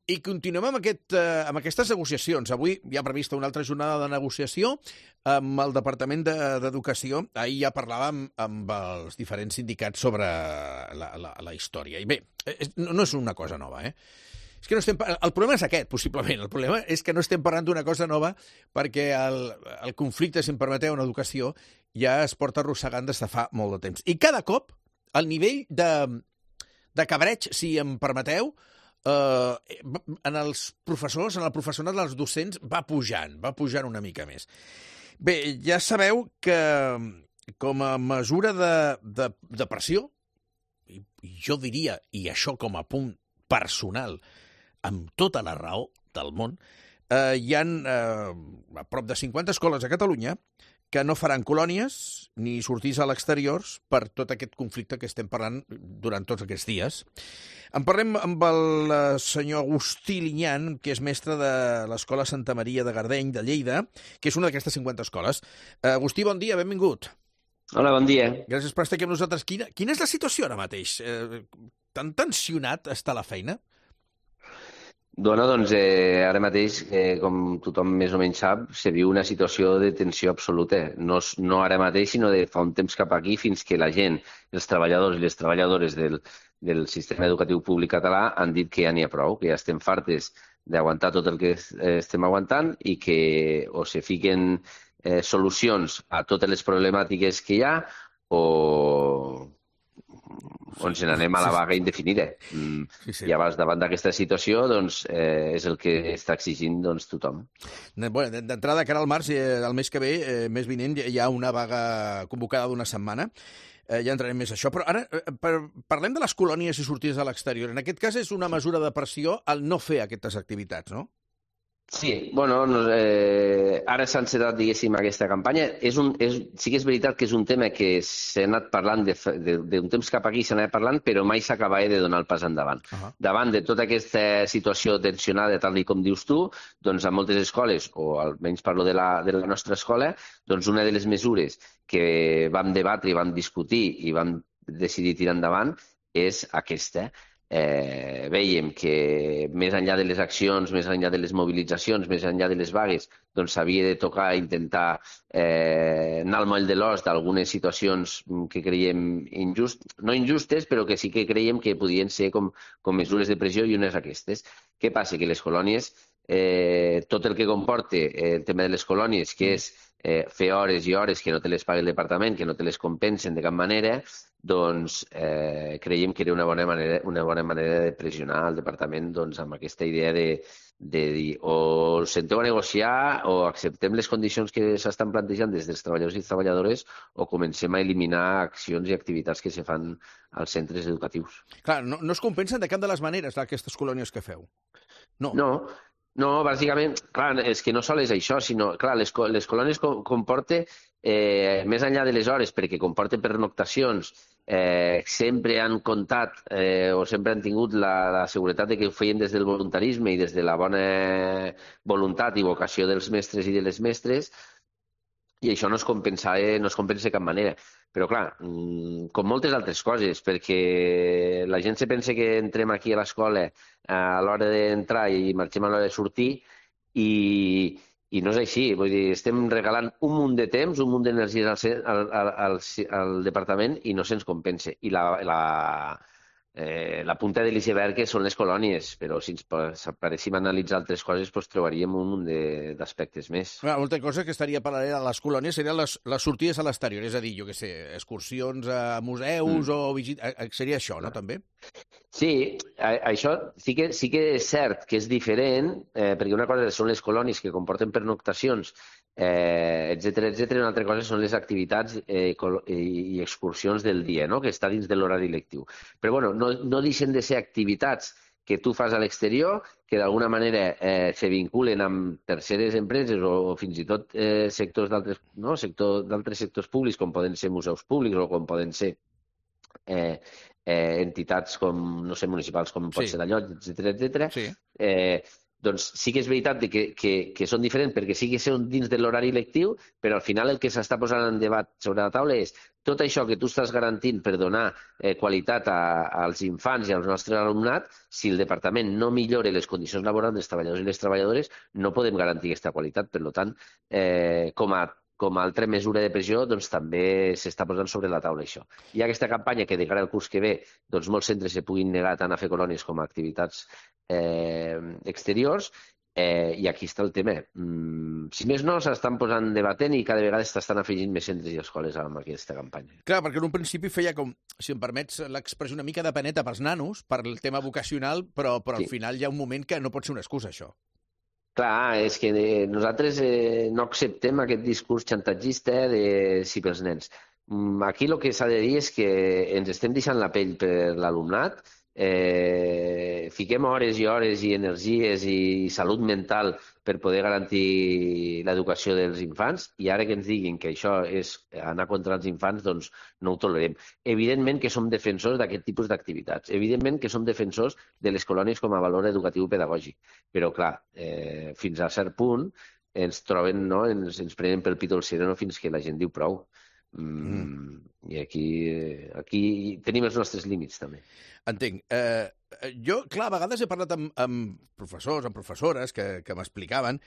I continuem amb aquestes negociacions. Avui hi ha prevista una altra jornada de negociació amb el Departament d'Educació. Ahir ja parlàvem amb els diferents sindicats sobre la història. I bé, no és una cosa nova, És que no estem... El problema és aquest, possiblement. El problema és que no estem parlant d'una cosa nova perquè el conflicte, si em permeteu, en educació ja es porta arrossegant des de fa molt de temps. I cada cop el nivell de cabreig, si em permeteu, en els professors, en el professorat dels docents, va pujant una mica més. Bé, ja sabeu que com a mesura de pressió, i jo diria, i això com a punt personal, amb tota la raó del món, hi ha a prop de 50 escoles a Catalunya que no faran colònies ni sortís a l'exteriors per tot aquest conflicte que estem parlant durant tots aquests dies. En parlem amb el senyor Agustí Linyan, que és mestre de l'Escola Santa Maria de Gardeny, de Lleida, que és una d'aquestes 50 escoles. Agustí, bon dia, benvingut. Hola, bon dia. Gràcies per estar aquí amb nosaltres. Quina és la situació ara mateix? Tan tensionat està la feina? Doncs ara mateix, com tothom més o menys sap, se viu una situació de tensió absoluta. No ara mateix, sinó de fa un temps cap aquí, fins que la gent, els treballadors i les treballadores del sistema educatiu públic català han dit que ja n'hi ha prou, que ja estem fartes d'aguantar tot el que estem aguantant i que o se fiquen solucions a totes les problemàtiques que hi ha o ens n'anem a la vaga indefinida. I llavors, davant d'aquesta situació, doncs, és el que està exigint tothom. D'entrada, cara al març, el mes que ve, mes vinent, hi ha una vaga convocada d'una setmana. Ja entrarem més a això. Però ara parlem de les colònies i sortides a l'exterior. En aquest cas és una mesura de pressió al no fer aquestes activitats, no? Sí, ara s'ha encetat, diguéssim, aquesta campanya. Sí que és veritat que és un tema que s'ha anat parlant d'un temps cap aquí, s'ha anat parlant, però mai s'acabava de donar el pas endavant. Davant de tota aquesta situació tensionada, tal com dius tu, doncs a moltes escoles, o almenys parlo de la nostra escola, doncs una de les mesures que vam debatre i vam discutir i vam decidir tirar endavant és aquesta. Veiem que més enllà de les accions, més enllà de les mobilitzacions, més enllà de les vagues, doncs s'havia de tocar, intentar anar al moll de l'os d'algunes situacions que creiem no injustes, però que sí que creiem que podien ser com mesures de pressió, i unes aquestes. Què passa? Que les colònies, tot el que comporta el tema de les colònies, que és fer hores i hores que no te les pagui el departament, que no te les compensen de cap manera, doncs creiem que era una bona manera de pressionar el departament amb aquesta idea de dir o senteu a negociar o acceptem les condicions que s'estan plantejant des dels treballadors i treballadores o comencem a eliminar accions i activitats que se fan als centres educatius. Clar, no es compensen de cap de les maneres aquestes colònies que feu? No, bàsicament, clar, és que no sol és això, sinó, clar, les colònies comporten, més enllà de les hores, perquè comporten pernoctacions, sempre han comptat o sempre han tingut la seguretat de que ho feien des del voluntarisme i des de la bona voluntat i vocació dels mestres i de les mestres, i això no es compensa de cap manera. Però, clar, com moltes altres coses, perquè la gent se pensa que entrem aquí a l'escola a l'hora d'entrar i marxem a l'hora de sortir, i no és així. Vull dir, estem regalant un munt de temps, un munt d'energies al departament i no se'ns compensa. I la punta de l'iceberg són les colònies, però si ens paréssim analitzar altres coses, trobaríem un munt d'aspectes més. Una altra cosa que estaria paral·lela a les colònies serien les sortides a l'exterior, és a dir, jo què sé, excursions a museus o visites, seria això, no, també? Sí, això sí que és cert que és diferent, perquè una cosa són les colònies que comporten pernoctacions, etcètera, una altra cosa són les activitats i excursions del dia, no?, que està dins de l'horari lectiu. Però bueno, no deixen de ser activitats que tu fas a l'exterior, que d'alguna manera se vinculen amb terceres empreses o fins i tot sectors d'altres sectors públics, com poden ser museus públics o com poden ser entitats com, no sé, municipals, com pot ser la Llotja, etcètera, Doncs sí que és veritat que són diferents perquè sí que són dins de l'horari lectiu, però al final el que s'està posant en debat sobre la taula és tot això que tu estàs garantint per donar qualitat als infants i al nostre alumnat, si el departament no millora les condicions laborals dels treballadors i les treballadores, no podem garantir aquesta qualitat. Per tant, com a altra mesura de pressió, doncs també s'està posant sobre la taula això. Hi ha aquesta campanya que de cara al curs que ve doncs molts centres se puguin negar tant a fer colònies com a activitats exteriors, i aquí està el tema. Si més no, s'estan posant debatent i cada vegada s'estan afegint més centres i escoles amb aquesta campanya. Clar, perquè en un principi feia com, si em permets l'expressió, una mica de paneta pels nanos, per el tema vocacional, però al final hi ha un moment que no pot ser una excusa, això. Clar, és que nosaltres no acceptem aquest discurs xantatgista de sí pels nens. Aquí el que s'ha de dir és que ens estem deixant la pell per l'alumnat, fiquem hores i hores i energies i salut mental per poder garantir l'educació dels infants, i ara que ens diguin que això és anar contra els infants, doncs no ho tolerem. Evidentment que som defensors d'aquest tipus d'activitats, evidentment que som defensors de les colònies com a valor educatiu pedagògic, però clar, fins a cert punt ens troben, no? ens prenen pel pit el sereno fins que la gent diu prou. I aquí tenim els nostres límits també. Entenc. Jo, clar, a vegades he parlat amb professors, amb professores que m'explicaven,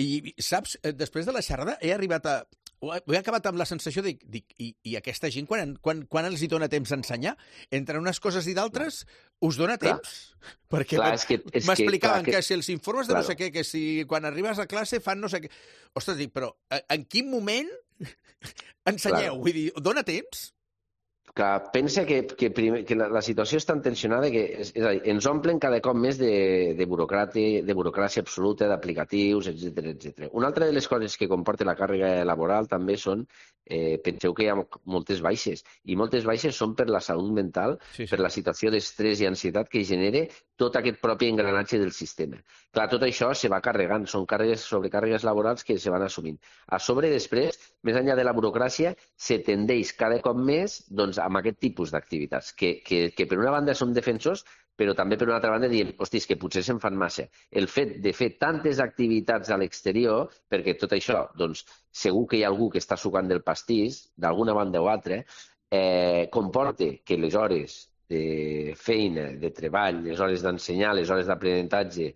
i saps, després de la xerrada he acabat amb la sensació de i aquesta gent quan els hi dona temps a ensenyar? Entre unes coses i d'altres us dona temps? Perquè m'explicaven que si els informes de no sé què, que si quan arribes a classe fan no sé què... Ostres, dic, però en quin moment ensenyeu? Vull dir, dona temps? Clar, pensa que la situació és tan tensionada que és a dir, ens omplen cada cop més de burocràcia absoluta, d'aplicatius, etc. Una altra de les coses que comporta la càrrega laboral també són, penseu que hi ha moltes baixes, i moltes baixes són per la salut mental, per la situació d'estrès i ansietat que genera tot aquest propi engranatge del sistema. Clar, tot això se va carregant, són sobrecàrregues laborals que se van assumint. A sobre, després, més enllà de la burocràcia, se tendeix cada cop més doncs, amb aquest tipus d'activitats, que per una banda són defensors, però també per una altra banda diem, hostis, que potser se'n fan massa. El fet de fer tantes activitats a l'exterior, perquè tot això, doncs, segur que hi ha algú que està sucant del pastís, d'alguna banda o altra, comporta que les hores de feina, de treball, les hores d'ensenyar, les hores d'aprenentatge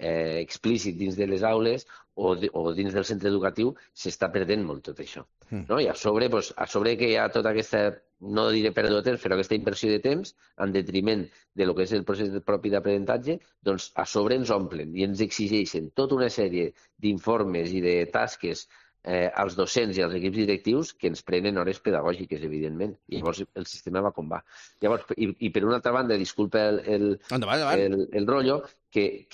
explícit dins de les aules o dins del centre educatiu s'està perdent molt tot això. No? I a sobre que hi ha tota aquesta, no diré pèrdua de temps, però aquesta inversió de temps en detriment de lo que és el procés propi d'aprenentatge, doncs a sobre ens omplen i ens exigeixen tota una sèrie d'informes i de tasques als docents i als equips directius que ens prenen hores pedagògiques, evidentment. I llavors el sistema va com va. Llavors, i per una altra banda, disculpa el rotllo, que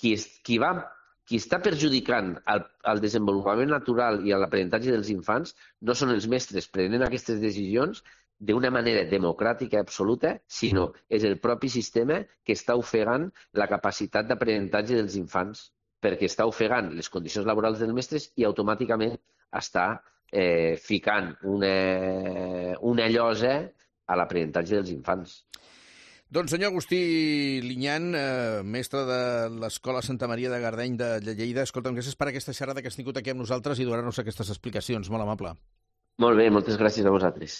qui està perjudicant el desenvolupament natural i l'aprenentatge dels infants no són els mestres prenent aquestes decisions d'una manera democràtica absoluta, sinó és el propi sistema que està ofegant la capacitat d'aprenentatge dels infants, perquè està ofegant les condicions laborals dels mestres i automàticament està ficant una llosa a l'aprenentatge dels infants. Doncs senyor Agustí Linyan, mestre de l'Escola Santa Maria de Gardeny de Lleida, escolta'm, gràcies per aquesta xerrada que has tingut aquí amb nosaltres i donar-nos aquestes explicacions. Molt amable. Molt bé, moltes gràcies a vosaltres.